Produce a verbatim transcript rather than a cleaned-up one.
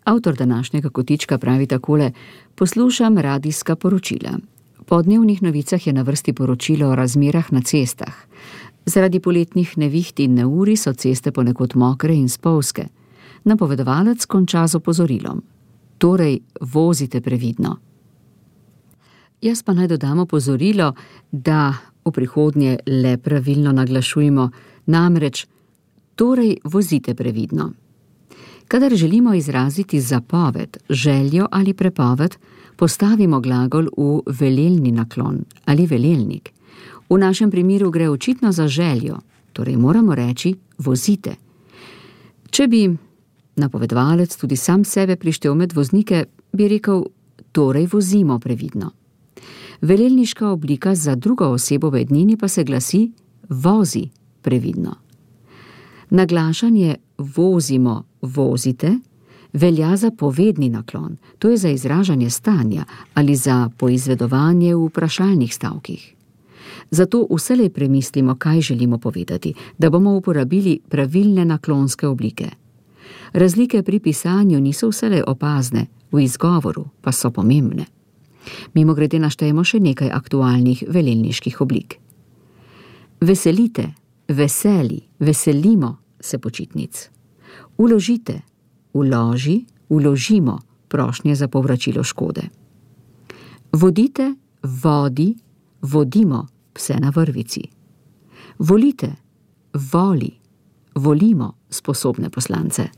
Avtor današnjega kotička pravi takole: poslušam radijska poročila. Po dnevnih novicah je na vrsti poročilo o razmerah na cestah. Zaradi poletnih neviht in neurij so ceste ponekod mokre in spolzke. Napovedovalec konča z opozorilom: torej vozite previdno. Jaz pa naj dodam opozorilo, da v prihodnje le pravilno naglašujmo, namreč torej vozite previdno. Kadar želimo izraziti zapoved, željo ali prepoved, postavimo glagol v velelni naklon ali velelnik. V našem primeru gre očitno za željo, torej moramo reči vozite. Če bi napovedovalec tudi sam sebe prištel med voznike, bi rekel: torej vozimo previdno. Velelniška oblika za drugo osebo v ednini pa se glasi: vozi previdno. Naglašanje vozimo, vozite velja za povedni naklon, to je za izražanje stanja ali za poizvedovanje v vprašalnih stavkih. Zato vselej premislimo, kaj želimo povedati, da bomo uporabili pravilne naklonske oblike. Razlike pri pisanju niso vselej opazne, v izgovoru pa so pomembne. Mimogrede naštejemo še nekaj aktualnih velelniških oblik. Veselite, veseli, veselimo se počitnic. Vložite, vloži, vložimo prošnje za povračilo škode. Vodite, vodi, vodimo pse na vrvici. Volite, voli, volimo sposobne poslance.